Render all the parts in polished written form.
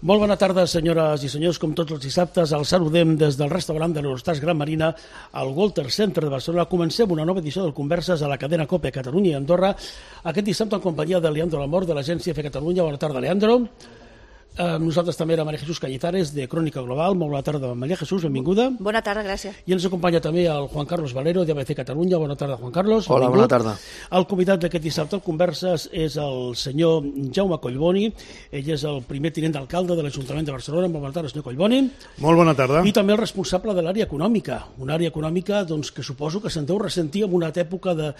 Molt bona tarda, senyores i senyors. Com tots els dissabtes, els saludem des del restaurant de l'Eurostars Gran Marina al Walter Center de Barcelona. Comencem una nova edició del Converses a la cadena COPE Catalunya i Andorra. Aquest dissabte en companyia de Leandro Lamor, de l'agència F Catalunya. Bona tarda, Leandro. Nosaltres també era María Jesús Cañizares, de Crònica Global. Molt bona tarda, María Jesús, benvinguda. Bona tarda, gràcies. I ens acompanya també el Juan Carlos Valero, d'ABC Catalunya. Bona tarda, Juan Carlos. Hola, bona tarda. El convidat d'aquest dissabte al Converses és el senyor Jaume Collboni. Ell és el primer tinent d'alcalde de l'Ajuntament de Barcelona. Molt bona tarda, senyor Collboni. Molt bona tarda. I també el responsable de l'àrea econòmica. Una àrea econòmica que suposo que se'n deu ressentir en una època de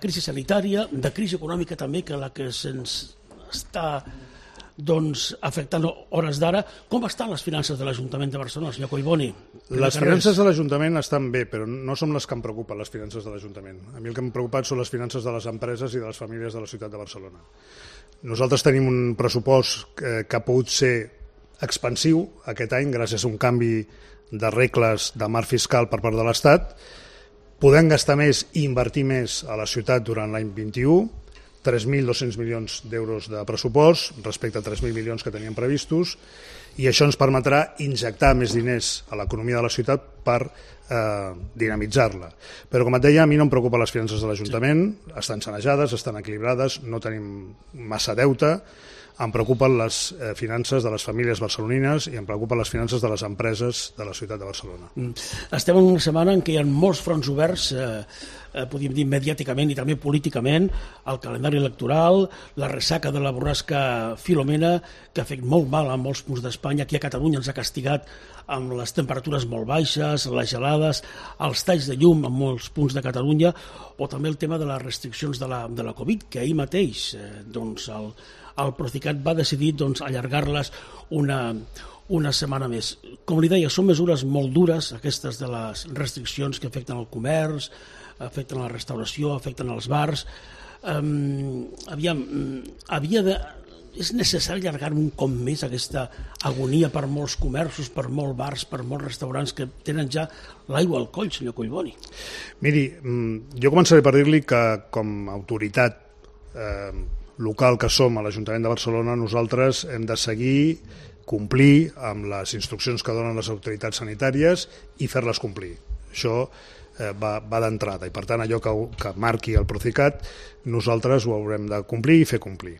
crisi sanitària, de crisi econòmica també, que la que se'ns està afectant hores d'ara. Com estan les finances de l'Ajuntament de Barcelona, senyor Collboni? Les finances de l'Ajuntament estan bé, però no són les que em preocupen, les finances de l'Ajuntament. A mi el que em preocupa són les finances de les empreses i de les famílies de la ciutat de Barcelona. Nosaltres tenim un pressupost que ha pogut ser expansiu aquest any gràcies a un canvi de regles de marc fiscal per part de l'Estat. Podem gastar més i invertir més a la ciutat durant l'any 21, 3.200 milions d'euros de pressupost respecte a 3.000 milions que teníem previstos, i això ens permetrà injectar més diners a l'economia de la ciutat per dinamitzar-la. Però, com et deia, a mi no em preocupen les finances de l'Ajuntament, estan sanejades, estan equilibrades, no tenim massa deute. Em preocupen les finances de les famílies barcelonines i em preocupen les finances de les empreses de la ciutat de Barcelona. Estem en una setmana en què hi ha molts fronts oberts, podríem dir mediàticament i també políticament, el calendari electoral, la ressaca de la borrasca Filomena, que ha fet molt mal a molts punts d'Espanya. Aquí a Catalunya ens ha castigat amb les temperatures molt baixes, les gelades, els talls de llum en molts punts de Catalunya, o també el tema de les restriccions de la Covid, que ahir mateix el Procicat va decidir allargar-les una setmana més. Com li deia, són mesures molt dures, aquestes de les restriccions que afecten el comerç, afecten la restauració, afecten els bars. És necessari allargar un cop més aquesta agonia per molts comerços, per molts bars, per molts restaurants que tenen ja l'aigua al coll, senyor Collboni? Miri, jo començaré per dir-li que com a autoritat local que som a l'Ajuntament de Barcelona, nosaltres hem de seguir, complir amb les instruccions que donen les autoritats sanitàries i fer-les complir. Això va d'entrada i, per tant, allò que marqui el Procicat, nosaltres ho haurem de complir i fer complir.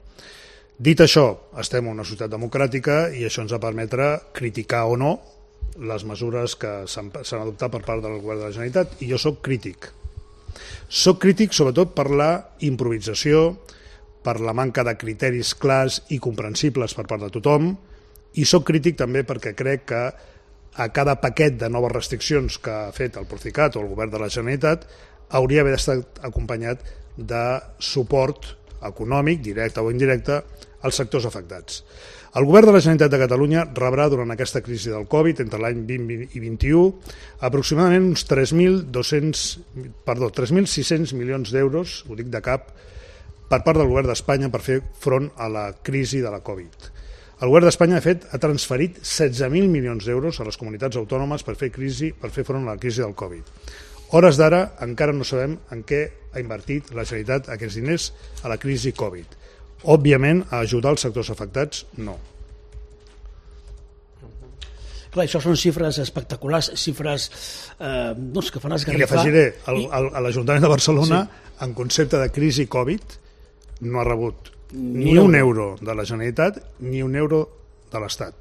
Dit això, estem en una societat democràtica i això ens ha de permetre criticar o no les mesures que s'han adoptat per part del Govern de la Generalitat, i jo soc crític. Soc crític sobretot per la improvisació, per la manca de criteris clars i comprensibles per part de tothom, i soc crític també perquè crec que a cada paquet de noves restriccions que ha fet el Procicat o el Govern de la Generalitat hauria d'haver estat acompanyat de suport econòmic, directe o indirecte, als sectors afectats. El Govern de la Generalitat de Catalunya rebrà durant aquesta crisi del Covid, entre l'any 20 i 21, aproximadament uns 3.600 milions d'euros, ho dic de cap, per part del Govern d'Espanya per fer front a la crisi de la Covid. El Govern d'Espanya, de fet, ha transferit 16.000 milions d'euros a les comunitats autònomes per fer front a la crisi del Covid. Hores d'ara encara no sabem en què ha invertit la Generalitat aquests diners a la crisi Covid. Òbviament, a ajudar els sectors afectats, no. Clar, això són xifres espectaculars, xifres que fan esgarrifar. I li afegiré, a l'Ajuntament de Barcelona, en concepte de crisi Covid, no ha rebut ni un euro de la Generalitat ni un euro de l'Estat,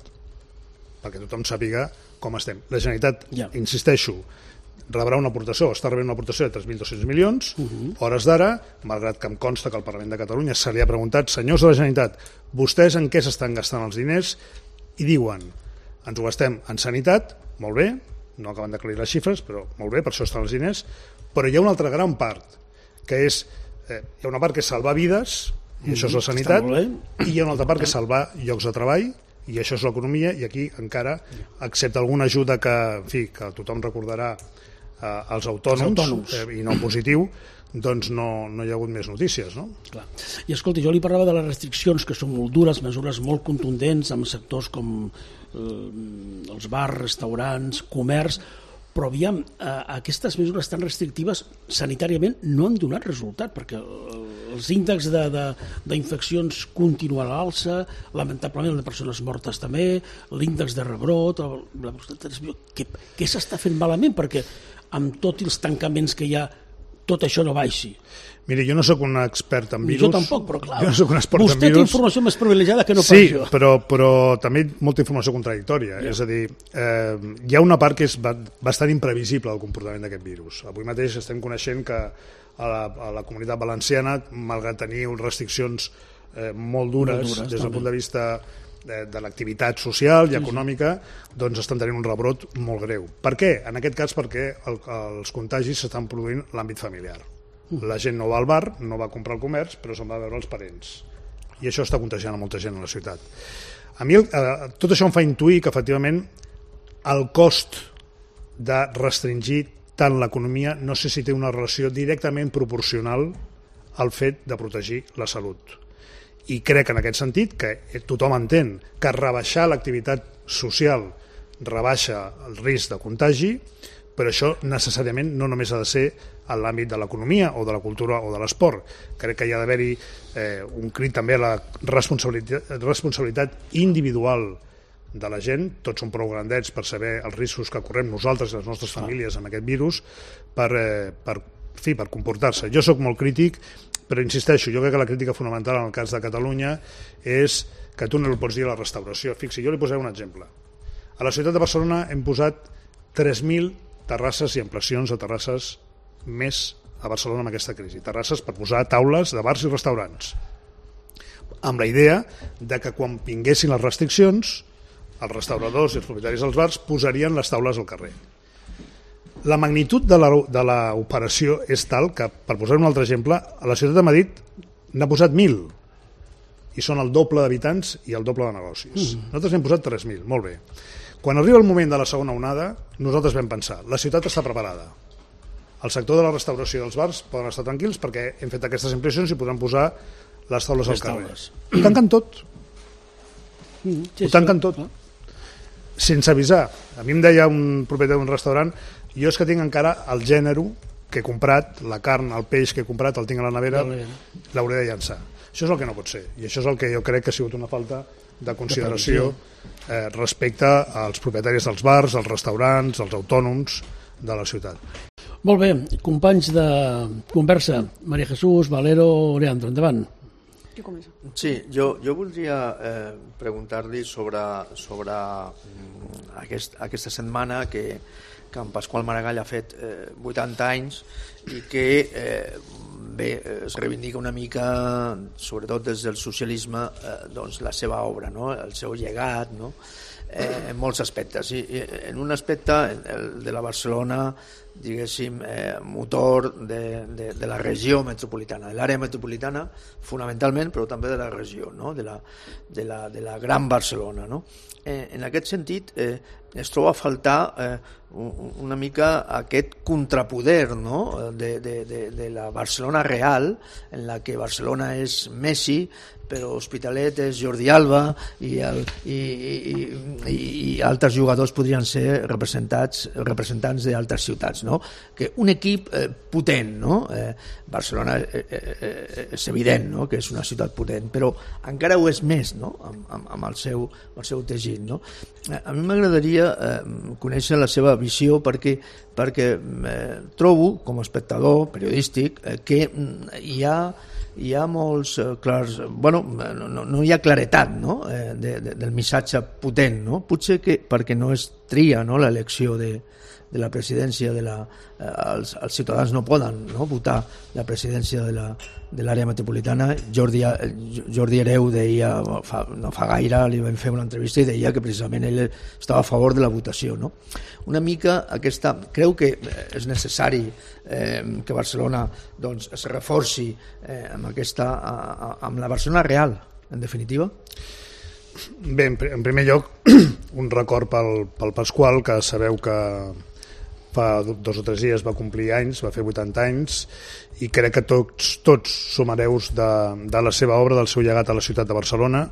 perquè tothom sàpiga com estem. La Generalitat, insisteixo, rebrà una aportació, està rebent una aportació de 3.200 milions, hores d'ara, malgrat que em consta que el Parlament de Catalunya se li ha preguntat, senyors de la Generalitat, vostès en què s'estan gastant els diners? I diuen, ens ho gastem en sanitat, molt bé, no acaben d'aclarir les xifres, però molt bé, per això estan els diners, però hi ha una altra gran part, que és, hi ha una part que és salvar vides, i això és la sanitat, i hi ha una altra part que és salvar llocs de treball, i això és l'economia, i aquí encara, excepte alguna ajuda que, en fi, que tothom recordarà als autònoms, i no positiu, doncs no hi ha hagut més notícies, no? Clar. I escolti, jo li parlava de les restriccions, que són molt dures, mesures molt contundents en sectors com els bars, restaurants, comerç, però aviam, aquestes mesures tan restrictives sanitàriament no han donat resultat, perquè els índexs d'infeccions continuen a l'alça, lamentablement el de persones mortes també, l'índex de rebrot, què s'està fent malament perquè amb tots els tancaments que hi ha tot això no baixi? Miri, jo no sóc un expert en virus. Jo tampoc, però clar, no soc un expert vostè té informació més privilegiada que no pas jo. Sí, però també molta informació contradictòria. Ja. És a dir, hi ha una part que és bastant imprevisible del comportament d'aquest virus. Avui mateix estem coneixent que a la comunitat valenciana, malgrat tenir restriccions molt dures des del punt de vista de l'activitat social i econòmica, doncs estan tenint un rebrot molt greu. Per què? En aquest cas perquè els contagis s'estan produint a l'àmbit familiar. La gent no va al bar, no va a comprar al comerç, però se'n va a veure els parents. I això està contagiant a molta gent a la ciutat. A mi tot això em fa intuir que, efectivament, el cost de restringir tant l'economia no sé si té una relació directament proporcional al fet de protegir la salut. I crec en aquest sentit que tothom entén que rebaixar l'activitat social rebaixa el risc de contagi, però això necessàriament no només ha de ser en l'àmbit de l'economia o de la cultura o de l'esport. Crec que hi ha d'haver-hi un crit també a la responsabilitat individual de la gent. Tots som prou grandets per saber els riscos que correm nosaltres i les nostres famílies amb aquest virus per comportar-se. Jo sóc molt crític, però insisteixo, jo crec que la crítica fonamental en el cas de Catalunya és que tu no el pots dir a la restauració. Fixi, jo li posaré un exemple. A la ciutat de Barcelona hem posat 3.000 terrasses i ampliacions de terrasses més a Barcelona amb aquesta crisi. Terrasses per posar taules de bars i restaurants. Amb la idea de que quan vinguessin les restriccions, els restauradors i els propietaris dels bars posarien les taules al carrer. La magnitud de l'operació és tal que, per posar un altre exemple, a la ciutat de Madrid n'ha posat 1.000 i són el doble d'habitants i el doble de negocis. Nosaltres n'hem posat 3.000, molt bé. Quan arriba el moment de la segona onada, nosaltres vam pensar, la ciutat està preparada. El sector de la restauració i dels bars poden estar tranquils perquè hem fet aquestes impressions i podran posar les taules al carrer. Ho tanquen tot. Ho tanquen tot. Sense avisar. A mi em deia un propietari d'un restaurant, jo és que tinc encara el gènere que he comprat, la carn, el peix que he comprat, el tinc a la nevera, l'hauré de llançar. Això és el que no pot ser. I això és el que jo crec que ha sigut una falta de consideració respecte als propietaris dels bars, als restaurants, als autònoms de la ciutat. Molt bé, companys de conversa, María Jesús, Valero, Leandro, endavant. Sí, jo voldria preguntar-li sobre aquesta setmana que en Pasqual Maragall ha fet 80 anys i que es reivindica una mica, sobretot des del socialisme, doncs la seva obra, no? El seu llegat, no? En molts aspectes. I en un aspecte, el de la Barcelona, diguéssim, motor de la regió metropolitana, de l'àrea metropolitana fonamentalment, però també de la regió, no? de la Gran Barcelona, no? En aquest sentit es troba a faltar una mica aquest contrapoder, no? de la Barcelona real, en la que Barcelona és Messi, però Hospitalet és Jordi Alba i altres jugadors podrien ser representants d'altres ciutats, no? Que un equip potent, no? Barcelona és evident, no? Que és una ciutat potent, però encara ho és més, no? amb el seu teixit, no? A mi m'agradaria conèixer la seva visió perquè trobo, com a espectador periodístic, que hi ha molts clars... Bueno, no hi ha claretat, no? Del missatge potent, no? Potser que perquè no es tria, no? L'elecció de la presidència els ciutadans no poden, no? Votar la presidència de l'àrea metropolitana. Jordi Hereu deia, no fa gaire li vam fer una entrevista i deia que precisament ell estava a favor de la votació, no? Una mica aquesta... Creu que és necessari que Barcelona doncs, es reforci amb la Barcelona real, en definitiva? Bé, en primer lloc, un record pel Pasqual, que sabeu que fa 2 o 3 dies va complir anys, va fer 80 anys, i crec que tots som hereus de la seva obra, del seu llegat a la ciutat de Barcelona,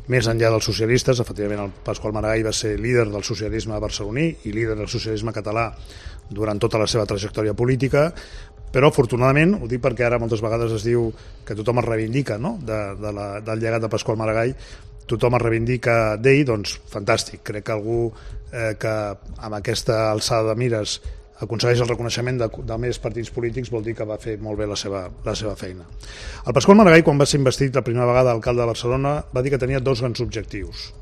més enllà dels socialistes. Efectivament, el Pasqual Maragall va ser líder del socialisme barceloní i líder del socialisme català durant tota la seva trajectòria política, però afortunadament, ho dic perquè ara moltes vegades es diu que tothom es reivindica, no?, del llegat de Pasqual Maragall, tothom es reivindica d'ell, doncs fantàstic. Crec que algú que amb aquesta alçada de mires aconsegueix el reconeixement de més partits polítics vol dir que va fer molt bé la seva feina. El Pasqual Maragall, quan va ser investit la primera vegada alcalde de Barcelona, va dir que tenia 2 grans objectius.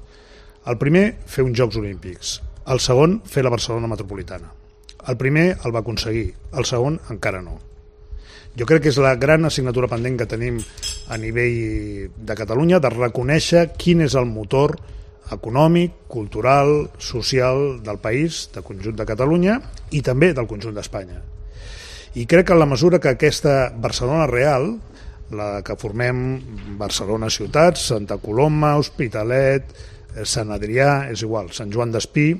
El primer, fer uns Jocs Olímpics. El segon, fer la Barcelona metropolitana. El primer el va aconseguir, el segon encara no. Jo crec que és la gran assignatura pendent que tenim a nivell de Catalunya, de reconèixer quin és el motor econòmic, cultural, social del país, del conjunt de Catalunya i també del conjunt d'Espanya. I crec que en la mesura que aquesta Barcelona real, la que formem Barcelona ciutat, Santa Coloma, Hospitalet, Sant Adrià, és igual, Sant Joan d'Espí,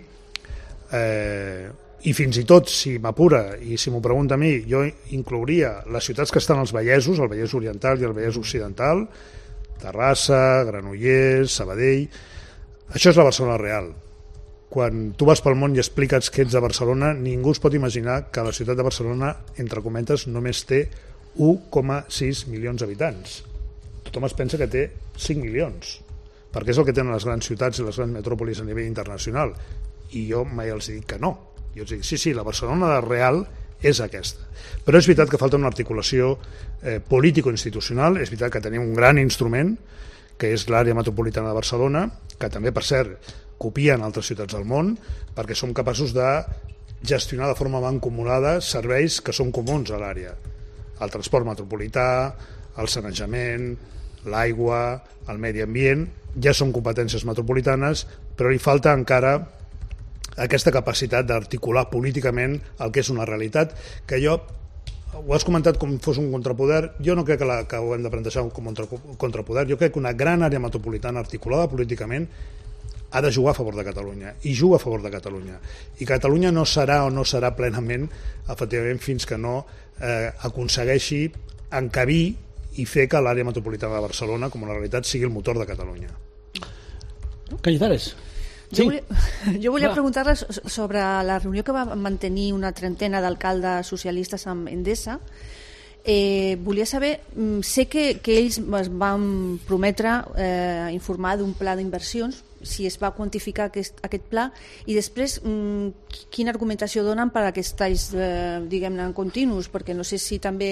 i fins i tot, si m'apura i si m'ho pregunta a mi, jo inclouria les ciutats que estan als Vallesos, el Vallès Oriental i el Vallès Occidental, Terrassa, Granollers, Sabadell. Això és la Barcelona real. Quan tu vas pel món i expliques que ets de Barcelona, ningú es pot imaginar que la ciutat de Barcelona, entre cometes, només té 1,6 milions d'habitants. Tothom es pensa que té 5 milions, perquè és el que tenen les grans ciutats i les grans metròpolis a nivell internacional. I jo mai els dic que no. Jo els dic, sí, la Barcelona real és aquesta. Però és veritat que falta una articulació político-institucional, és veritat que tenim un gran instrument, que és l'àrea metropolitana de Barcelona, que també, per cert, copien altres ciutats del món, perquè som capaços de gestionar de forma mancomunada serveis que són comuns a l'àrea. El transport metropolità, el sanejament, l'aigua, el medi ambient, ja són competències metropolitanes, però li falta encara aquesta capacitat d'articular políticament el que és una realitat, que jo, ho has comentat com fos un contrapoder, jo no crec que ho hem de plantejar com un contrapoder, jo crec que una gran àrea metropolitana articulada políticament ha de jugar a favor de Catalunya, i juga a favor de Catalunya, i Catalunya no serà o no serà plenament, efectivament, fins que no aconsegueixi encabir i fer que l'àrea metropolitana de Barcelona com una realitat sigui el motor de Catalunya. Cañizares. Sí. Jo volia preguntar-le sobre la reunió que va mantenir una trentena d'alcaldes socialistes amb Endesa. Volia saber, sé que ells es van prometre informar d'un pla d'inversions, si es va quantificar aquest pla, i després quina argumentació donen per a aquests talls, diguem-ne, en continus, perquè no sé si també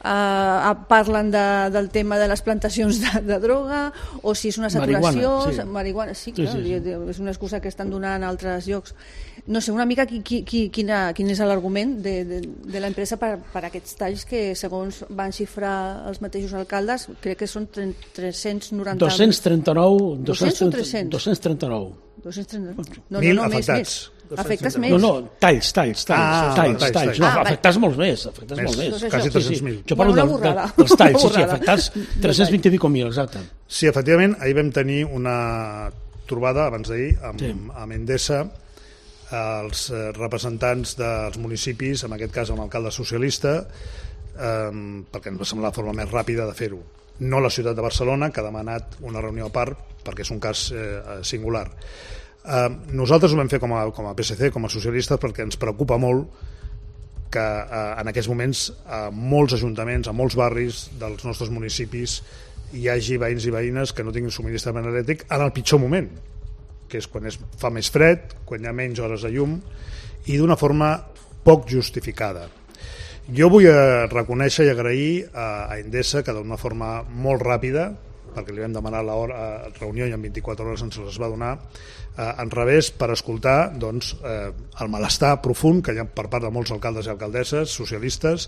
parlen del tema de les plantacions de droga o si és una saturació. Marihuana, sí, clar, sí. És una excusa que estan donant a altres llocs. No sé, una mica quin és l'argument de l'empresa per aquests talls que, segons van xifrar els mateixos alcaldes, crec que són 390... 239... 200 o 300? 239. 1.000 afectats. Afectes més? No, talls. No, afectats molts més. Quasi 300.000. Jo parlo dels talls, sí, afectats 320 i mil, exacte. Sí, efectivament, ahir vam tenir una trobada, abans d'ahir, amb Endesa, els representants dels municipis, en aquest cas amb l'alcalde socialista, perquè ens va semblar la forma més ràpida de fer-ho. No la ciutat de Barcelona, que ha demanat una reunió a part, perquè és un cas singular. Nosaltres ho vam fer com a PSC, com a socialistes, perquè ens preocupa molt que en aquests moments a molts ajuntaments, a molts barris dels nostres municipis hi hagi veïns i veïnes que no tinguin subministrament elèctric en el pitjor moment, que és quan fa més fred, quan hi ha menys hores de llum i d'una forma poc justificada. Jo vull reconèixer i agrair a Endesa que d'una forma molt ràpida, perquè li vam demanar la reunió i en 24 hores ens les va donar, en revés, per escoltar el malestar profund que hi ha per part de molts alcaldes i alcaldesses socialistes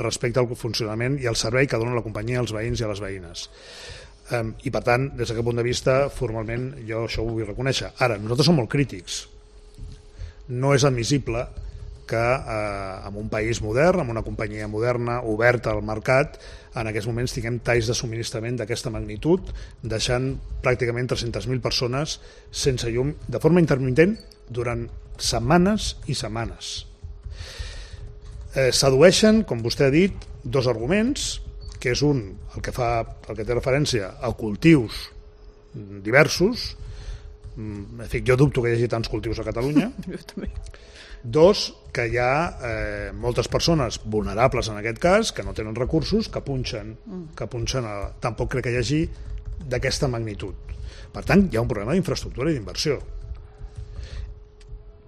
respecte al funcionament i al servei que dona la companyia als veïns i a les veïnes. I per tant, des d'aquest punt de vista, formalment jo això ho vull reconèixer. Ara, nosaltres som molt crítics. No és admissible que en un país modern, amb una companyia moderna, oberta al mercat, en aquests moments tinguem talls de subministrament d'aquesta magnitud, deixant pràcticament 300.000 persones sense llum de forma intermitent durant setmanes i setmanes. S'adueixen, com vostè ha dit, dos arguments, que és un, el que té referència a cultius diversos. En fi, jo dubto que hi hagi tants cultius a Catalunya. Jo també. Dos, que hi ha moltes persones vulnerables en aquest cas, que no tenen recursos, que punxen tampoc crec que hi hagi d'aquesta magnitud. Per tant, hi ha un problema d'infraestructura i d'inversió.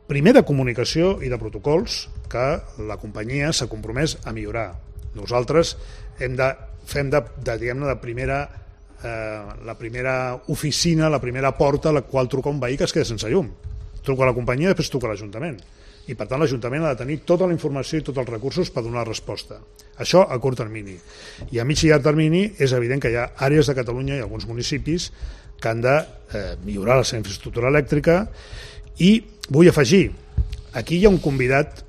Primer, de comunicació i de protocols que la companyia s'ha compromès a millorar. Nosaltres fem diguem-ne, la primera oficina, la primera porta a la qual truca un veí que es queda sense llum. Truca a la companyia i després truca a l'Ajuntament. I per tant l'Ajuntament ha de tenir tota la informació i tots els recursos per donar resposta. Això a curt termini. I a mig i llarg termini és evident que hi ha àrees de Catalunya i alguns municipis que han de millorar la seva infraestructura elèctrica. I vull afegir, aquí hi ha un convidat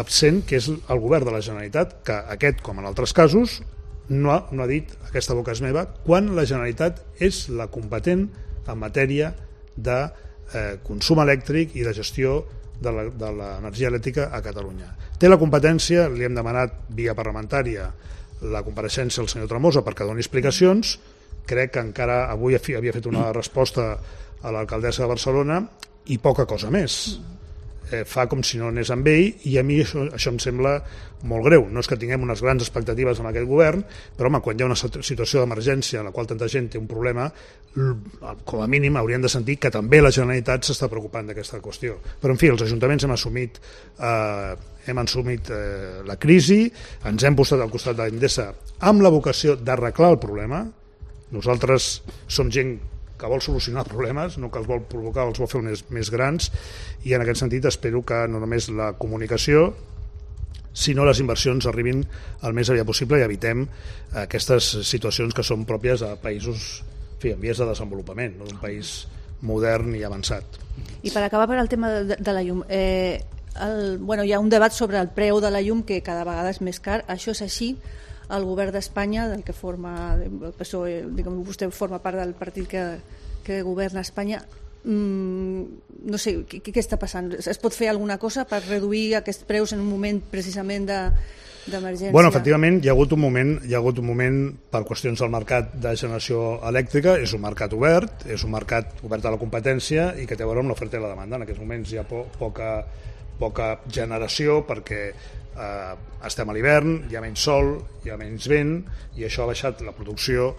absent, que és el govern de la Generalitat, que aquest, com en altres casos, no ha dit, aquesta boca és meva, quan la Generalitat és la competent en matèria de consum elèctric i de gestió de l'energia elèctrica a Catalunya. Té la competència, li hem demanat via parlamentària la compareixença del senyor Tremosa perquè doni explicacions. Crec que encara avui havia fet una resposta a l'alcaldessa de Barcelona i poca cosa més. Fa com si no anés amb ell, i a mi això em sembla molt greu. No és que tinguem unes grans expectatives amb aquest govern, però home, quan hi ha una situació d'emergència en la qual tanta gent té un problema, com a mínim haurien de sentir que també la Generalitat s'està preocupant d'aquesta qüestió. Però en fi, els ajuntaments hem assumit la crisi, ens hem posat al costat d'Endesa amb la vocació d'arreglar el problema. Nosaltres som gent que vol solucionar problemes, no que els vol provocar, els vol fer més grans, i en aquest sentit espero que no només la comunicació, sinó les inversions arribin el més aviat possible i evitem aquestes situacions que són pròpies a països en vies de desenvolupament, no? Un país modern i avançat. I per acabar per al tema de la llum, hi ha un debat sobre el preu de la llum que cada vegada és més car. Això és així? El govern d'Espanya, del que forma el PSOE, diguem, vostè forma part del partit que governa Espanya, no sé, què està passant? Es pot fer alguna cosa per reduir aquests preus en un moment precisament d'emergència? Bueno, efectivament, hi ha hagut un moment per qüestions del mercat de generació elèctrica. És un mercat obert, és un mercat obert a la competència i que té a veure amb l'oferta i la demanda. En aquests moments hi ha poca generació perquè estem a l'hivern, hi ha menys sol, hi ha menys vent, i això ha baixat la producció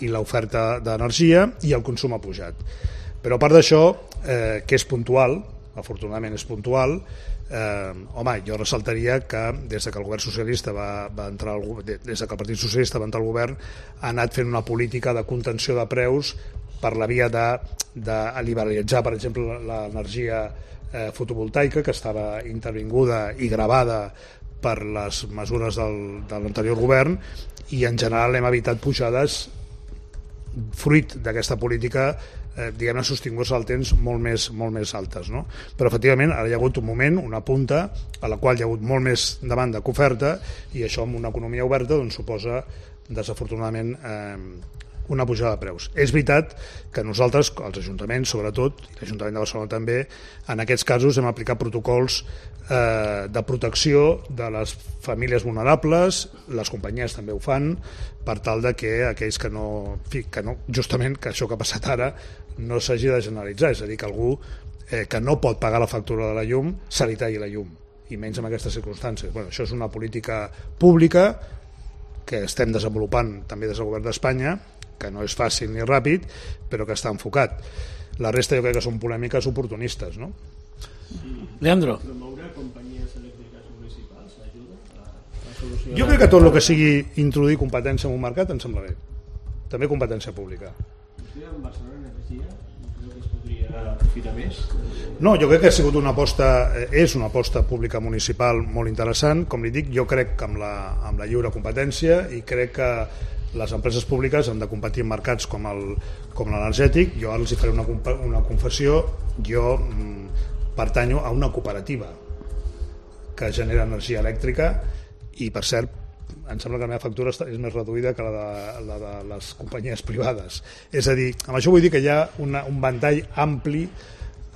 i l'oferta d'energia i el consum ha pujat. Però a part d'això, que és puntual, afortunadament és puntual, jo ressaltaria que des que el govern socialista des que el Partit Socialista va entrar al govern, ha anat fent una política de contenció de preus per la via de liberalitzar, per exemple, l'energia fotovoltaica, que estava intervinguda i gravada per les mesures de l'anterior govern, i en general hem evitat pujades fruit d'aquesta política, diguem-ne, sostingudes al temps molt més altes, no? Però efectivament ara hi ha hagut un moment, una punta a la qual hi ha hagut molt més demanda que oferta, i això en una economia oberta doncs suposa desafortunadament una pujada de preus. És veritat que nosaltres, els ajuntaments sobretot, i l'Ajuntament de Barcelona també, en aquests casos hem aplicat protocols de protecció de les famílies vulnerables, les companyies també ho fan, per tal de que aquells que no, justament que això que ha passat ara no s'hagi de generalitzar, és a dir, que algú que no pot pagar la factura de la llum se li talli la llum, i menys en aquestes circumstàncies. Bueno, això és una política pública que estem desenvolupant també des del govern d'Espanya, que no és fàcil ni ràpid, però que està enfocat. La resta jo crec que són polèmiques oportunistes, no? Leandro. Promoure companyies elèctriques municipals ajuda a solucionar... Jo crec que tot el que sigui introduir competència en un mercat em sembla bé. També competència pública. Vostè amb Barcelona Energia creu que es podria aprofitar més? No, jo crec que ha sigut és una aposta pública municipal molt interessant. Com li dic, jo crec que amb la lliure competència, i crec que les empreses públiques han de competir en mercats com l'energètic. Jo ara els faré una confessió. Jo pertanyo a una cooperativa que genera energia elèctrica, i per cert em sembla que la meva factura és més reduïda que la de les companyies privades. És a dir, amb això vull dir que hi ha un ventall ampli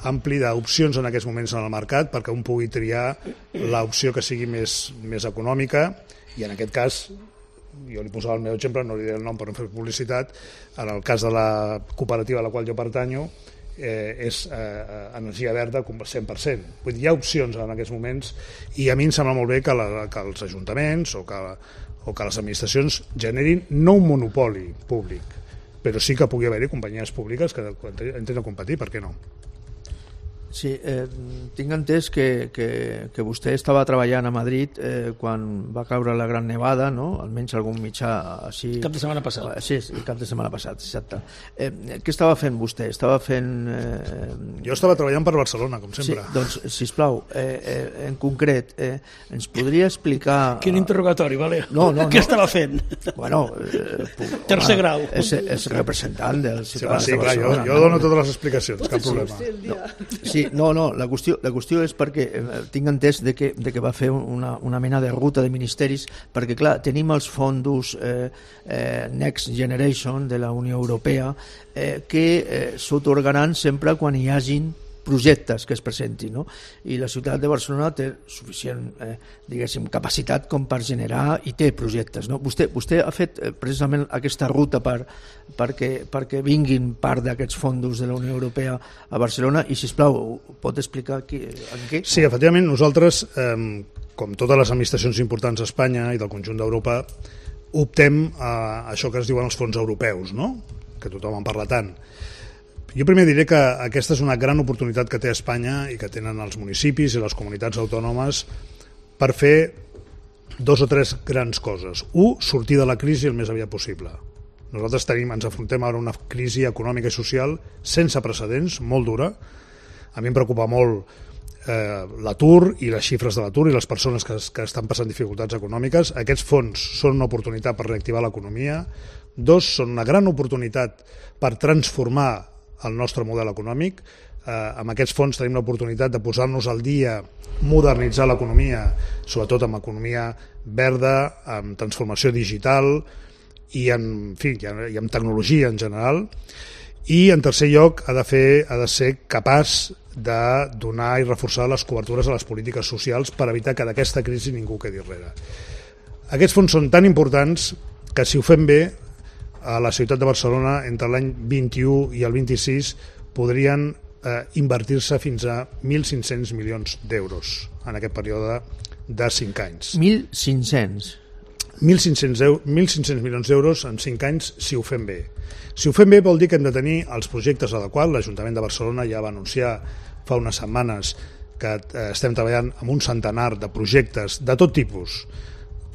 ampli d'opcions en aquests moments en el mercat perquè un pugui triar l'opció que sigui més econòmica, i en aquest cas, jo li posava el meu exemple, no li diré el nom per no fer publicitat, en el cas de la cooperativa a la qual jo pertanyo, és energia verda 100%. Vull dir, hi ha opcions en aquests moments, i a mi em sembla molt bé que els ajuntaments o que les administracions generin no un monopoli públic, però sí que pugui haver-hi companyies públiques que intenten competir, per què no? Sí, tinc entès que vostè estava treballant a Madrid quan va caure la gran nevada, no? Almenys algun mitjà així... Cap de setmana passat. Sí, cap de setmana passat, exacte. Què estava fent vostè? Estava fent... Jo estava treballant per Barcelona, com sempre. Sí, doncs, sisplau, en concret, ens podria explicar... Quin interrogatori, vale? No. Què estava fent? Bueno, tercer grau. És representant dels ciutadans de Barcelona. Barcelona. Jo dono totes les explicacions, cap problema. Sí, no, la qüestió és perquè tinc entès de que va fer una mena de ruta de ministeris, perquè clar, tenim els fons Next Generation de la Unió Europea que s'atorgaran sempre quan hi hagin projectes que es presentin, no? I la ciutat de Barcelona té suficient diguéssim, capacitat com per generar i té projectes, no? Vostè ha fet precisament aquesta ruta perquè vinguin part d'aquests fons de la Unió Europea a Barcelona, i sisplau, pot explicar en què? Sí, efectivament, nosaltres, com totes les administracions importants d'Espanya i del conjunt d'Europa, optem a això que es diuen els fons europeus, no? Que tothom en parla tant. Jo primer diré que aquesta és una gran oportunitat que té Espanya i que tenen els municipis i les comunitats autònomes per fer 2 o 3 grans coses. Sortir de la crisi el més aviat possible. Nosaltres ens afrontem ara una crisi econòmica i social sense precedents, molt dura. A mi em preocupa molt l'atur i les xifres de l'atur i les persones que estan passant dificultats econòmiques. Aquests fons són una oportunitat per reactivar l'economia. 2, són una gran oportunitat per transformar el nostre model econòmic. Amb aquests fons tenim l'oportunitat de posar-nos al dia, modernitzar l'economia, sobretot amb economia verda, amb transformació digital i amb tecnologia en general. I en tercer lloc ha de ser capaç de donar i reforçar les cobertures a les polítiques socials per evitar que d'aquesta crisi ningú quedi enrere. Aquests fons són tan importants que si ho fem bé, a la ciutat de Barcelona entre l'any 21 i el 26 podrien invertir-se fins a 1.500 milions d'euros en aquest període de 5 anys. 1.500? 1.500 milions d'euros en 5 anys si ho fem bé. Si ho fem bé vol dir que hem de tenir els projectes adequats. L'Ajuntament de Barcelona ja va anunciar fa unes setmanes que estem treballant amb un centenar de projectes de tot tipus.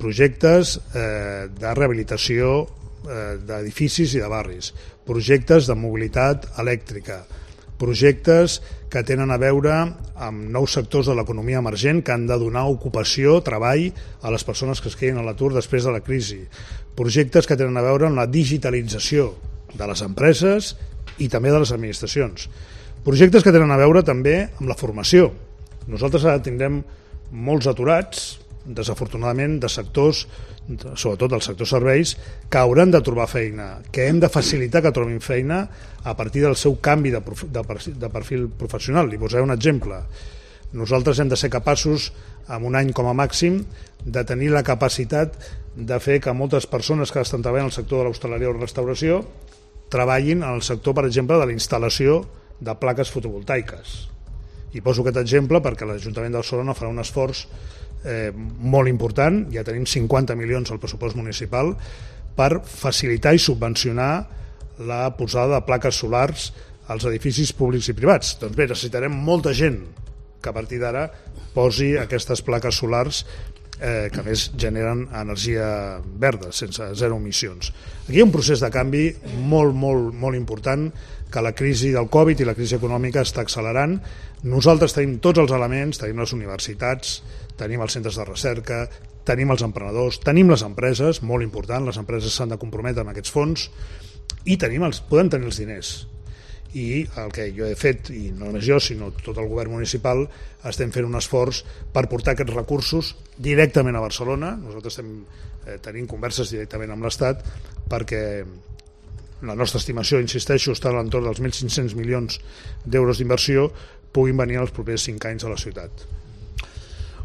Projectes de rehabilitació d'edificis i de barris, projectes de mobilitat elèctrica, projectes que tenen a veure amb nous sectors de l'economia emergent que han de donar ocupació, treball a les persones que es quedin a l'atur després de la crisi, projectes que tenen a veure amb la digitalització de les empreses i també de les administracions, projectes que tenen a veure també amb la formació. Nosaltres ara tindrem molts aturats, desafortunadament, de sectors, sobretot del sector serveis, que hauran de trobar feina, que hem de facilitar que trobin feina a partir del seu canvi de perfil professional. Li posaré un exemple. Nosaltres hem de ser capaços, en un any com a màxim, de tenir la capacitat de fer que moltes persones que estan treballant al sector de l'hostaleria o la restauració treballin en el sector, per exemple, de la instal·lació de plaques fotovoltaiques. I poso aquest exemple perquè l'Ajuntament de Barcelona farà un esforç molt important, ja tenim 50 milions al pressupost municipal per facilitar i subvencionar la posada de plaques solars als edificis públics i privats. Doncs bé, necessitarem molta gent que a partir d'ara posi aquestes plaques solars que a més generen energia verda, sense zero emissions. Aquí hi ha un procés de canvi molt, molt, molt important que la crisi del Covid i la crisi econòmica està accelerant. Nosaltres tenim tots els elements, tenim les universitats, tenim els centres de recerca, tenim els emprenedors, tenim les empreses, molt important, les empreses s'han de comprometre amb aquests fons i podem tenir els diners. I el que jo he fet, i no només jo sinó tot el govern municipal, estem fent un esforç per portar aquests recursos directament a Barcelona. Nosaltres estem tenint converses directament amb l'Estat perquè la nostra estimació, insisteixo, està a l'entorn dels 1.500 milions d'euros d'inversió, puguin venir els propers 5 anys a la ciutat.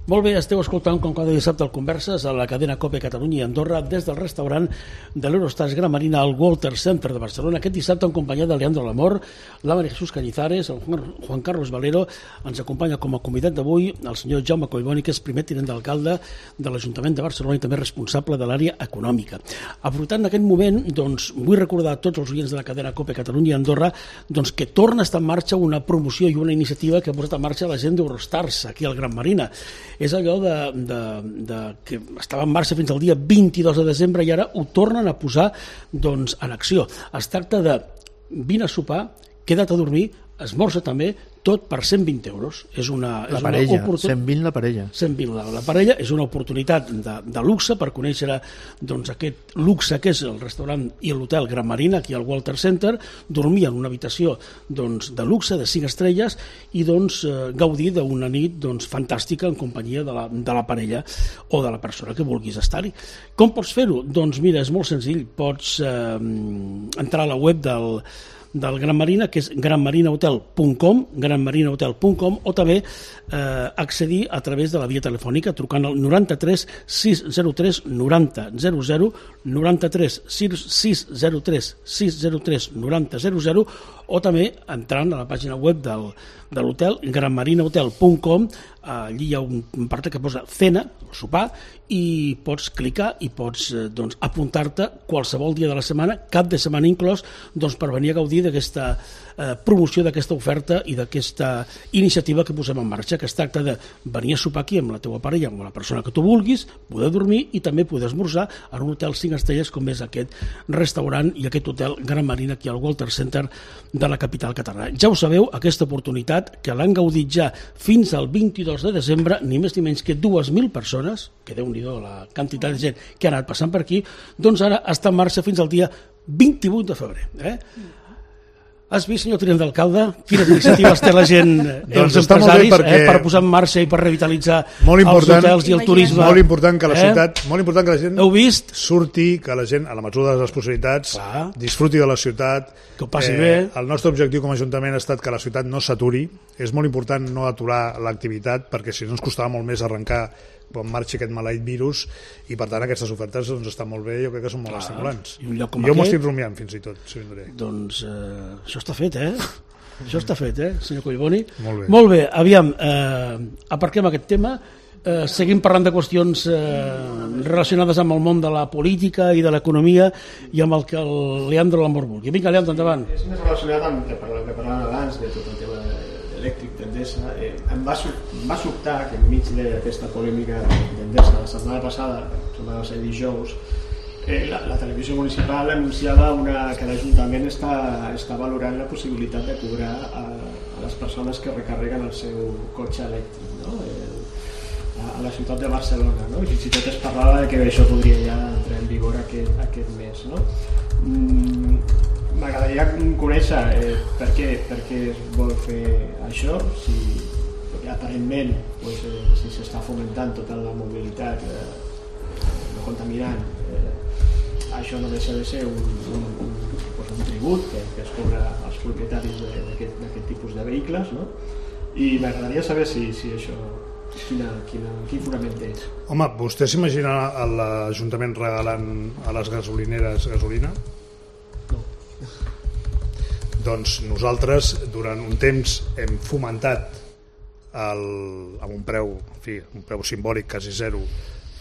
Molt bé, esteu escoltant com cada dissabte el Converses a la cadena COPE Catalunya i Andorra des del restaurant de l'Eurostars Gran Marina al Walter Center de Barcelona. Aquest dissabte en companyia de Leandro Lamor, la Maria Jesús Cañizares, el Juan Carlos Valero. Ens acompanya com a convidat d'avui el senyor Jaume Collboni, que és primer tinent d'alcalde de l'Ajuntament de Barcelona i també responsable de l'àrea econòmica. Aprofitant aquest moment, doncs, vull recordar a tots els oients de la cadena COPE Catalunya i Andorra doncs, que torna a estar en marxa una promoció i una iniciativa que ha posat en marxa la gent d'Eurostars aquí al Gran Marina. És allò que estava en marxa fins al dia 22 de desembre i ara ho tornen a posar doncs, en acció. Es tracta de vine a sopar, queda't a dormir, esmorza també, tot per 120 euros. És una parella, 120 la parella. 120 la parella, és una oportunitat de luxe per conèixer doncs, aquest luxe que és el restaurant i l'hotel Gran Marina, aquí al Walter Center, dormir en una habitació doncs, de luxe, de 5 estrelles, i doncs, gaudir d'una nit doncs, fantàstica en companyia de la parella o de la persona que vulguis estar-hi. Com pots fer-ho? Doncs mira, és molt senzill. Pots entrar a la web del Gran Marina, que és granmarinahotel.com, o també accedir a través de la via telefònica trucant al 93 603 90 00, 93 603 603 90 00, o també entrant a la pàgina web de l'hotel, granmarinahotel.com. Allí hi ha un part que posa cena, sopar, i pots clicar i pots doncs, apuntar-te qualsevol dia de la setmana, cap de setmana inclòs, doncs, per venir a gaudir d'aquesta promoció, d'aquesta oferta i d'aquesta iniciativa que posem en marxa, que es tracta de venir a sopar aquí amb la teva parella, amb la persona que tu vulguis, poder dormir i també poder esmorzar en un hotel 5 estrelles com és aquest restaurant i aquest hotel Gran Marina aquí al Walter Center de la capital catalana. Ja ho sabeu, aquesta oportunitat que l'han gaudit ja fins al 22 de desembre, ni més ni menys que 2.000 persones, que Déu-n'hi-do la quantitat de gent que ha anat passant per aquí, doncs ara està en marxa fins al dia 28 de febrer. Has vist, senyor tinent d'alcalde, quines iniciatives té la gent, els empresaris, per posar en marxa i per revitalitzar els hotels i el turisme? Molt important que la ciutat, molt important que la gent heu vist? Surti, que la gent, a la mesura de les possibilitats, disfruti de la ciutat. Que ho passi bé. El nostre objectiu com a Ajuntament ha estat que la ciutat no s'aturi. És molt important no aturar l'activitat, perquè si no ens costava molt més arrencar quan marxi aquest maleït virus, i per tant aquestes ofertes doncs, estan molt bé, jo crec que són molt estimulants. Jo m'ho estic rumiant fins i tot, si vindré. Doncs això està fet, Això està fet, senyor Collboni? Molt bé. Molt bé, aviam, aparquem aquest tema, seguim parlant de qüestions relacionades amb el món de la política i de l'economia i amb el que el Leandro Lamor vulgui. Vinga, Leandro, endavant. És més relacionat amb el que parlàvem abans de tot el tema elèctric d'Endesa. Em va sobtar que enmig d'aquesta polèmica d'Endesa la setmana passada, va ser dijous, la televisió municipal anunciava que l'Ajuntament està valorant la possibilitat de cobrar a les persones que recarreguen el seu cotxe elèctric, no? A la ciutat de Barcelona, no? I fins i tot es parlava que això podria ja entrar en vigor aquest mes, no? M'agradaria conèixer per què es vol fer això, perquè aparentment si s'està fomentant tota la mobilitat no contaminant, això no deixa de ser un tribut que es cobra als propietaris d'aquest tipus de vehicles, no? I m'agradaria saber si això quin fonament té. Home, vostè s'imagina l'Ajuntament regalant a les gasolineres gasolina? No. Doncs nosaltres durant un temps hem fomentat amb un preu simbòlic quasi zero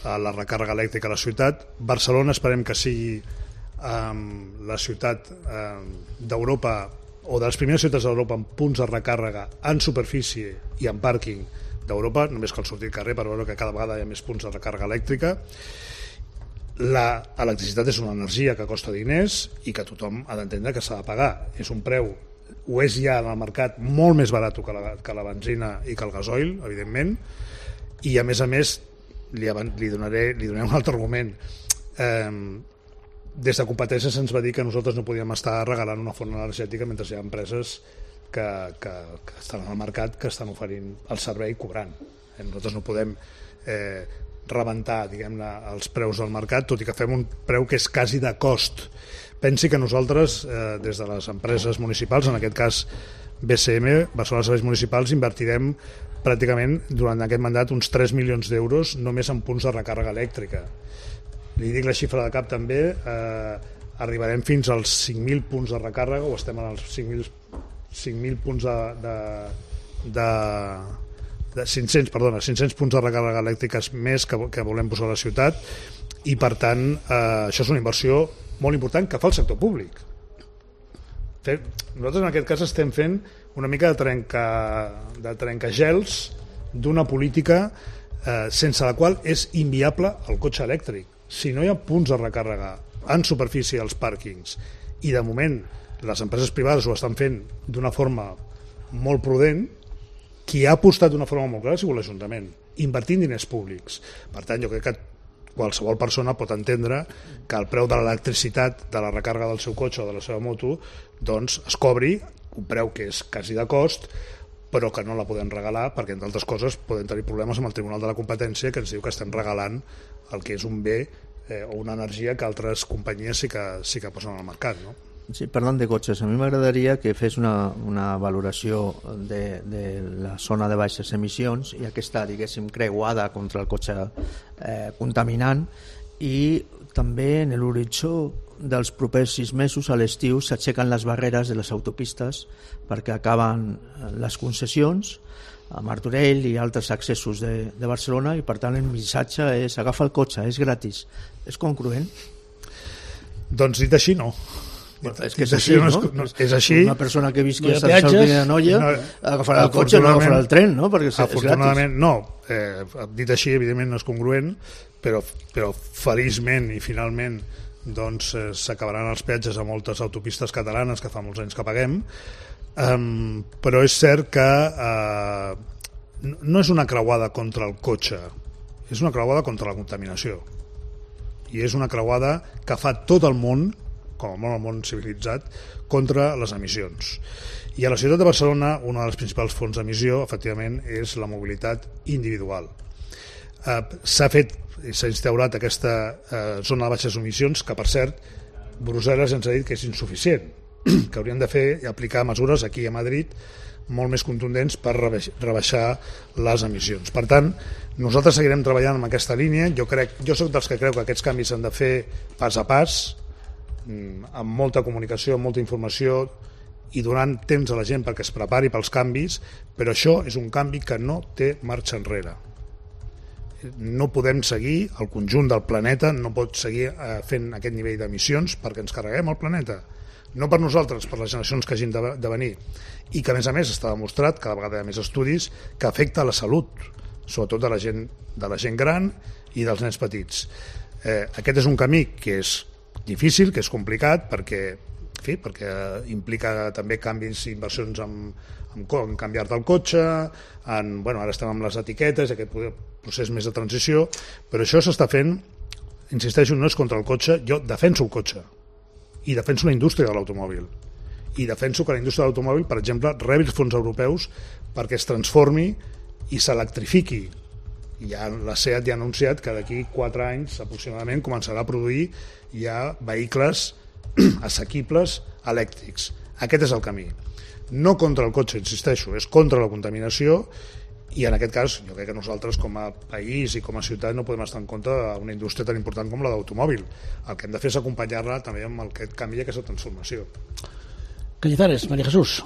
la recàrrega elèctrica a la ciutat. Barcelona esperem que sigui la ciutat d'Europa o de les primeres ciutats d'Europa amb punts de recàrrega en superfície i en pàrquing d'Europa, només cal sortir al carrer per veure que cada vegada hi ha més punts de recàrrega elèctrica. L'electricitat és una energia que costa diners i que tothom ha d'entendre que s'ha de pagar. És un preu, ho és ja en el mercat, molt més barat que la benzina i que el gasoil, evidentment, i a més li donaré un altre argument. Des de competències se'ns va dir que nosaltres no podíem estar regalant una font energètica mentre hi ha empreses que estan al mercat, que estan oferint el servei cobrant. Nosaltres no podem rebentar, diguem-ne, els preus del mercat, tot i que fem un preu que és quasi de cost. Pensi que nosaltres, des de les empreses municipals, en aquest cas BCM, Barcelona Serveis Municipals, invertirem pràcticament durant aquest mandat uns 3 milions d'euros només en punts de recàrrega elèctrica. Li dic la xifra de cap també, arribarem fins als 5.000 punts de recàrrega, o estem en els 5.000 punts de 500 punts de recàrrega elèctriques més que volem posar a la ciutat, i per tant això és una inversió molt important que fa el sector públic. Nosaltres en aquest cas estem fent una mica de trencagels d'una política sense la qual és inviable el cotxe elèctric. Si no hi ha punts de recàrrega en superfície als pàrquings, i de moment les empreses privades ho estan fent d'una forma molt prudent, qui ha apostat d'una forma molt clara ha sigut l'Ajuntament, invertint diners públics. Per tant, jo crec que qualsevol persona pot entendre que el preu de l'electricitat, de la recàrrega del seu cotxe o de la seva moto, doncs es cobri un preu que és quasi de cost, però que no la podem regalar perquè, entre altres coses, podem tenir problemes amb el Tribunal de la Competència, que ens diu que estem regalant el que és un bé o una energia que altres companyies sí que posen al mercat, no? Sí, parlant de cotxes, a mi m'agradaria que fes una valoració de la zona de baixes emissions i aquesta, diguéssim, creuada contra el cotxe contaminant, i també en l'horitzó dels propers 6 mesos a l'estiu s'aixequen les barreres de les autopistes perquè acaben les concessions a Martorell i altres accessos de Barcelona, i per tant el missatge és: agafa el cotxe, és gratis. És congruent? Doncs dit així, no. És que és així, no? És així. Una persona que visqui a Sant Salvador de Noia agafarà el cotxe, no agafarà el tren, no? Perquè és afortunadament no. Dit així, evidentment no és congruent, però feliçment i finalment doncs s'acabaran els peatges a moltes autopistes catalanes que fa molts anys que paguem, però és cert que no és una creuada contra el cotxe, és una creuada contra la contaminació, i és una creuada que fa tot el món, com a molt el món civilitzat, contra les emissions. I a la ciutat de Barcelona una de les principals fonts d'emissió efectivament és la mobilitat individual. S'ha instaurat aquesta zona de baixes emissions, que per cert Brussel·les ens ha dit que és insuficient, que haurien de fer i aplicar mesures aquí a Madrid molt més contundents per rebaixar les emissions. Per tant, nosaltres seguirem treballant en aquesta línia. Jo soc dels que creu que aquests canvis s'han de fer pas a pas, amb molta comunicació, amb molta informació, i donant temps a la gent perquè es prepari pels canvis, però això és un canvi que no té marxa enrere. No podem seguir, el conjunt del planeta no pot seguir fent aquest nivell d'emissions perquè ens carreguem el planeta. No per nosaltres, per les generacions que hagin de venir. I que, a més, està demostrat, cada vegada hi ha més estudis, que afecta la salut, sobretot de la gent gran i dels nens petits. Aquest és un camí que és difícil, que és complicat, perquè implica també canvis i inversions en canviar-te el cotxe, ara estem amb les etiquetes, aquest procés més de transició, però això s'està fent, insisteixo, no és contra el cotxe, jo defenso el cotxe, i defenso la indústria de l'automòbil, i defenso que la indústria de l'automòbil, per exemple, rebi els fons europeus perquè es transformi i s'electrifiqui. La SEAT ja ha anunciat que d'aquí 4 anys aproximadament començarà a produir ja vehicles assequibles elèctrics. Aquest és el camí. No contra el cotxe, insisteixo, és contra la contaminació, i en aquest cas jo crec que nosaltres com a país i com a ciutat no podem estar en contra d'una indústria tan important com la d'automòbil. El que hem de fer és acompanyar-la també amb aquest canvi i aquesta transformació. Cañizares, María Jesús.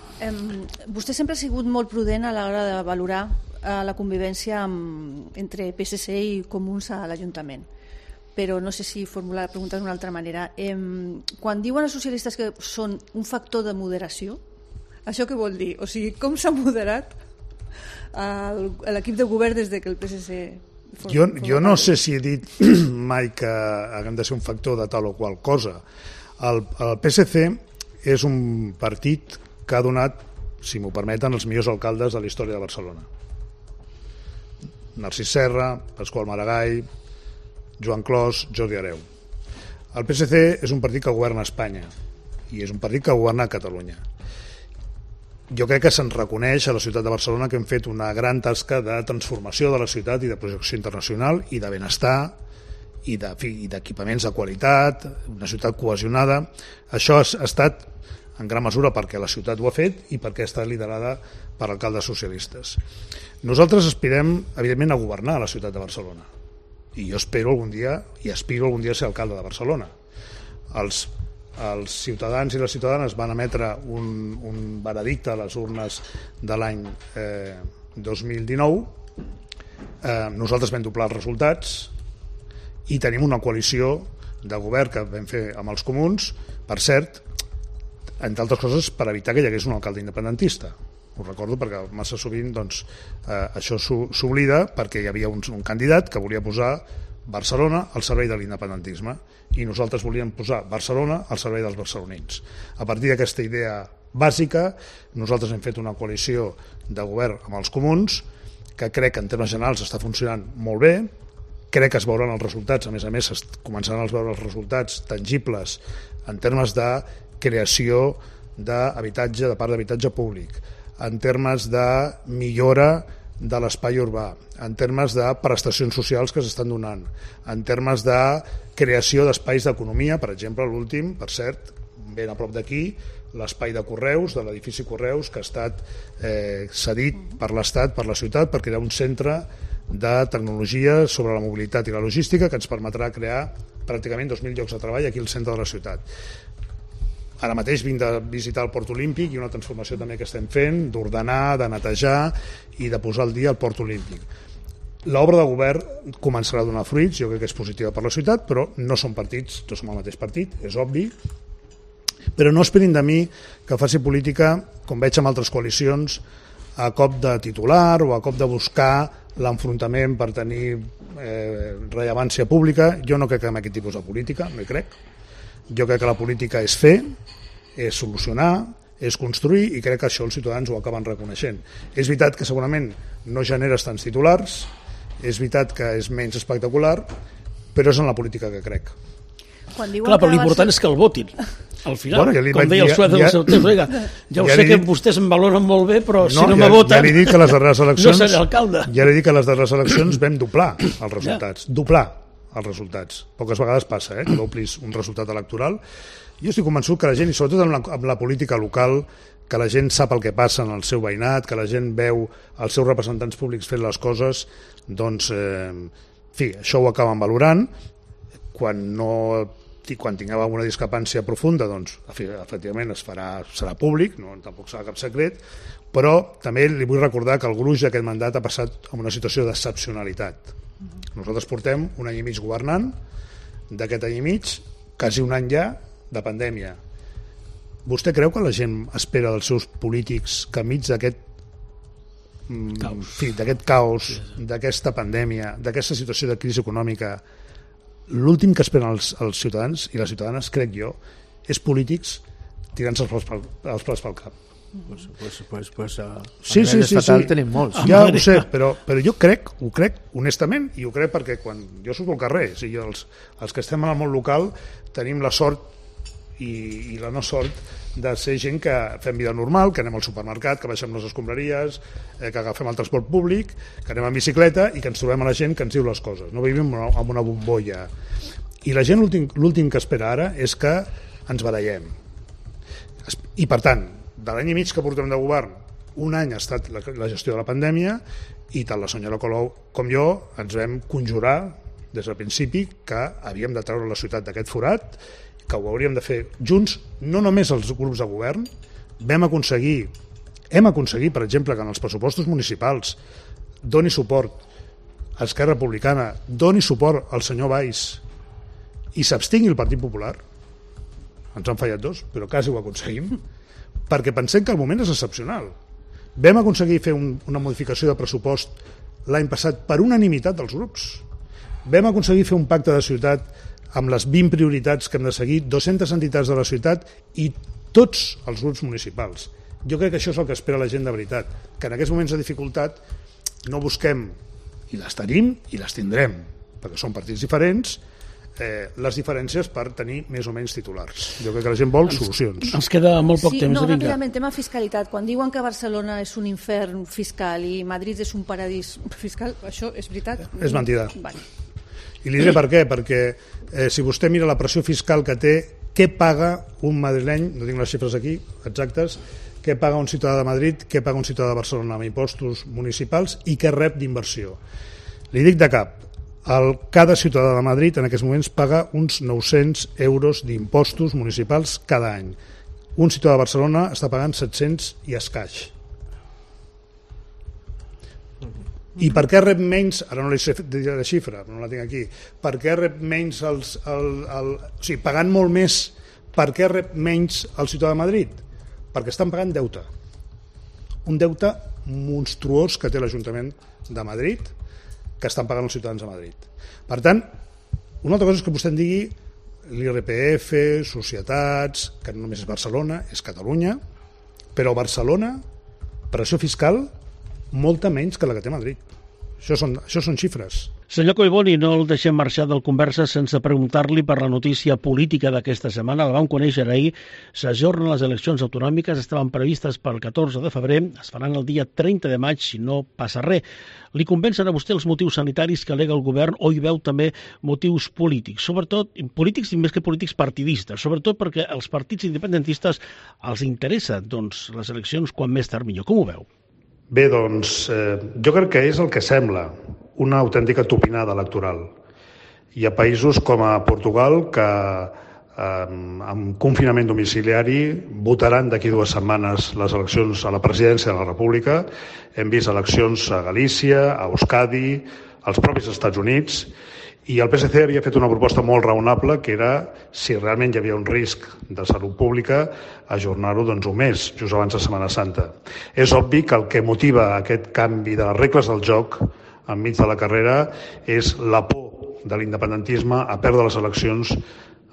Vostè sempre ha sigut molt prudent a l'hora de valorar la convivència entre PSC i Comuns a l'Ajuntament. Però no sé si formular la pregunta d'una altra manera. Quan diuen els socialistes que són un factor de moderació, això què vol dir? O sigui, com s'ha moderat l'equip de govern des que el PSC... Jo no sé si he dit mai que haguem de ser un factor de tal o qual cosa. El PSC és un partit que ha donat, si m'ho permeten, els millors alcaldes de la història de Barcelona. Narcís Serra, Pasqual Maragall, Joan Clos, Jordi Hereu. El PSC és un partit que governa a Espanya i és un partit que governa a Catalunya. jo crec que se'n reconeix a la ciutat de Barcelona que hem fet una gran tasca de transformació de la ciutat i de projecció internacional i de benestar i d'equipaments de qualitat, una ciutat cohesionada. Això ha estat en gran mesura perquè la ciutat ho ha fet i perquè ha estat liderada per alcaldes socialistes. Nosaltres aspirem, evidentment, a governar la ciutat de Barcelona i jo espero algun dia, i aspiro algun dia a ser alcalde de Barcelona. Els ciutadans i les ciutadanes van emetre un veredicte a les urnes de l'any 2019. Nosaltres vam doblar els resultats i tenim una coalició de govern que vam fer amb els comuns, per cert, entre altres coses per evitar que hi hagués un alcalde independentista. Ho recordo perquè massa sovint això s'oblida, perquè hi havia un candidat que volia posar Barcelona al servei de l'independentisme i nosaltres volíem posar Barcelona al servei dels barcelonins. A partir d'aquesta idea bàsica, nosaltres hem fet una coalició de govern amb els comuns que crec que en termes generals està funcionant molt bé, crec que es veuran els resultats, a més començaran a veure els resultats tangibles en termes de creació d'habitatge, de parc d'habitatge públic, en termes de millora de l'espai urbà, en termes de prestacions socials que s'estan donant, en termes de creació d'espais d'economia, per exemple, l'últim, per cert, ben a prop d'aquí, l'espai de Correus, de l'edifici Correus, que ha estat cedit per l'Estat, per la ciutat, perquè era un centre de tecnologia sobre la mobilitat i la logística que ens permetrà crear pràcticament 2.000 llocs de treball aquí al centre de la ciutat. Ara mateix vinc de visitar el Port Olímpic i una transformació també que estem fent, d'ordenar, de netejar i de posar al dia el Port Olímpic. L'obra de govern començarà a donar fruits, jo crec que és positiva per la ciutat, però no som partits, no som el mateix partit, és obvi, però no esperin de mi que faci política, com veig amb altres coalicions, a cop de titular o a cop de buscar l'enfrontament per tenir rellevància pública. Jo no crec en aquest tipus de política, no hi crec. Jo crec que la política és fer, és solucionar, és construir, i crec que això els ciutadans ho acaben reconeixent. És veritat que segurament no generes tants titulars, és veritat que és menys espectacular, però és en la política que crec. Clar, però l'important és que el votin. Al final, bueno, com deia el Suez de la Certesa, ja ho sé que vostès em valoren molt bé, però si no me voten, ja li dic que les darreres eleccions, no seré alcalde. Ja li dic que les darreres eleccions vam doblar els resultats, doblar els resultats. Poques vegades passa que doblis un resultat electoral. Jo estic convençut que la gent, i sobretot amb la política local, que la gent sap el que passa en el seu veïnat, que la gent veu els seus representants públics fent les coses, doncs, en fi, això ho acaben valorant. Quan tinguem alguna discrepància profunda, doncs, efectivament, serà públic, no, tampoc serà cap secret, però també li vull recordar que el gruix d'aquest mandat ha passat en una situació d'excepcionalitat. Nosaltres portem un any i mig governant, d'aquest any i mig, quasi un any ja de pandèmia. Vostè creu que la gent espera dels seus polítics que enmig d'aquest caos, d'aquesta pandèmia, d'aquesta situació de crisi econòmica, l'últim que esperen els ciutadans i les ciutadanes, crec jo, és polítics tirant-se els plats pel cap? Sí. Tenim molts. Ja ho sé, però jo ho crec honestament, i ho crec perquè quan jo surto al carrer, els que estem en el món local tenim la sort i la no sort de ser gent que fem vida normal, que anem al supermercat, que baixem les escombraries, que agafem el transport públic, que anem en bicicleta i que ens trobem a la gent que ens diu les coses. No vivim en una bombolla. I la gent l'últim que espera ara és que ens barallem. I per tant, de l'any i mig que portem de govern, un any ha estat la gestió de la pandèmia i tant la senyora Colau com jo ens vam conjurar des del principi que havíem de treure la ciutat d'aquest forat, que ho hauríem de fer junts, no només els grups de govern. Hem aconseguit, per exemple, que en els pressupostos municipals doni suport a Esquerra Republicana, doni suport al senyor Valls i s'abstingui el Partit Popular. Ens han fallat dos, però quasi ho aconseguim, perquè pensem que el moment és excepcional. Vam aconseguir fer una modificació de pressupost l'any passat per unanimitat dels grups. Vam aconseguir fer un pacte de ciutat amb les 20 prioritats que hem de seguir, 200 entitats de la ciutat i tots els grups municipals. Jo crec que això és el que espera la gent de veritat, que en aquests moments de dificultat no busquem, i les tenim i les tindrem, perquè són partits diferents, les diferències per tenir més o menys titulars. Jo crec que la gent vol solucions. Ens queda molt poc temps. No, ràpidament, tema fiscalitat. Quan diuen que Barcelona és un infern fiscal i Madrid és un paradís fiscal, això és veritat? És mentida. Vale. I li diré per què, perquè si vostè mira la pressió fiscal que té, què paga un madrileny, no tinc les xifres aquí exactes, què paga un ciutadà de Madrid, què paga un ciutadà de Barcelona amb impostos municipals i què rep d'inversió. Li dic de cap, cada ciutadà de Madrid en aquests moments paga uns 900 euros d'impostos municipals cada any. Un ciutadà de Barcelona està pagant 700 i escaig. I per què rep menys, ara no li sé dir la xifra, no la tinc aquí, per què rep menys o sigui, pagant molt més, per què rep menys el ciutadà de Madrid? Perquè estan pagant deute. Un deute monstruós que té l'Ajuntament de Madrid, que estan pagant els ciutadans de Madrid. Per tant, una altra cosa és que vostè em digui l'IRPF, societats, que no només és Barcelona, és Catalunya, però Barcelona, pressió fiscal, molta menys que la que té Madrid. Això són xifres. Senyor Collboni, no el deixem marxar del conversa sense preguntar-li per la notícia política d'aquesta setmana. La vam conèixer ahir, s'ajornen les eleccions autonòmiques, estaven previstes pel 14 de febrer, es faran el dia 30 de maig si no passa res. Li convencen a vostè els motius sanitaris que alega el govern o hi veu també motius polítics, sobretot polítics i més que polítics partidistes, sobretot perquè als partits independentistes els interessa les eleccions quan més tard millor. Com ho veu? Bé, doncs, jo crec que és el que sembla, una autèntica tupinada electoral. Hi ha països com a Portugal que amb confinament domiciliari votaran d'aquí 2 setmanes les eleccions a la presidència de la República. Hem vist eleccions a Galícia, a Euskadi, als propis Estats Units, i el PSC havia fet una proposta molt raonable, que era, si realment hi havia un risc de salut pública, ajornar-ho un mes, just abans de Setmana Santa. És obvi que el que motiva aquest canvi de les regles del joc enmig de la carrera és la por de l'independentisme a perdre les eleccions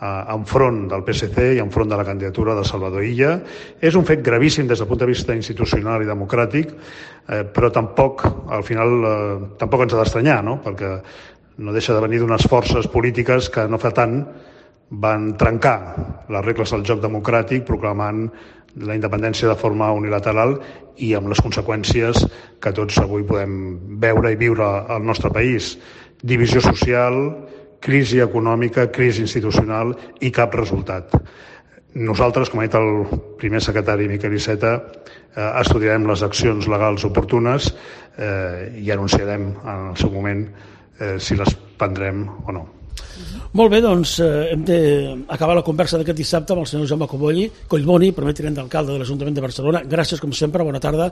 enfront del PSC i enfront de la candidatura de Salvador Illa. És un fet gravíssim des del punt de vista institucional i democràtic, però tampoc, al final, tampoc ens ha d'estranyar, no? Perquè no deixa de venir d'unes forces polítiques que no fa tant van trencar les regles del joc democràtic proclamant la independència de forma unilateral i amb les conseqüències que tots avui podem veure i viure al nostre país. Divisió social, crisi econòmica, crisi institucional i cap resultat. Nosaltres, com ha dit el primer secretari Miquel Iceta, estudiarem les accions legals oportunes i anunciarem en el seu moment si les prendrem o no. Molt bé, doncs hem d'acabar la conversa d'aquest dissabte amb el senyor Jaume Collboni, primer tinent d'alcalde de l'Ajuntament de Barcelona. Gràcies, com sempre, bona tarda,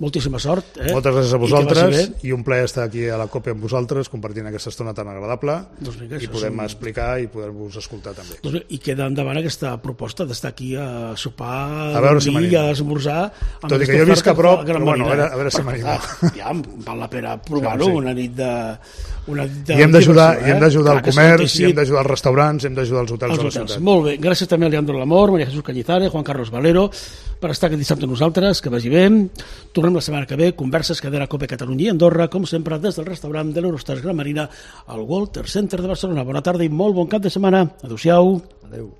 moltíssima sort. Moltes gràcies a vosaltres i un plaer estar aquí a la COPE amb vosaltres, compartint aquesta estona tan agradable i podem explicar i poder-vos escoltar també. I queda endavant aquesta proposta d'estar aquí a sopar, a veure si i a esmorzar. Tot i que jo visc a prop, però bueno, a veure si m'anima. Ja, val la pena provar-ho, una nit de... I hem d'ajudar el comerç, i hem d'ajudar els restaurants, hem d'ajudar els hotels de la ciutat. Molt bé, gràcies també a Leandro Lamor, María Jesús Cañizares, Juan Carlos Valero per estar aquest dissabte amb nosaltres, que vagi bé. Tornem la setmana que ve, converses que de la COPE Catalunya i Andorra, com sempre des del restaurant de l'Eurostars Gran Marina al Walter Center de Barcelona. Bona tarda i molt bon cap de setmana. Adéu-siau. Adéu.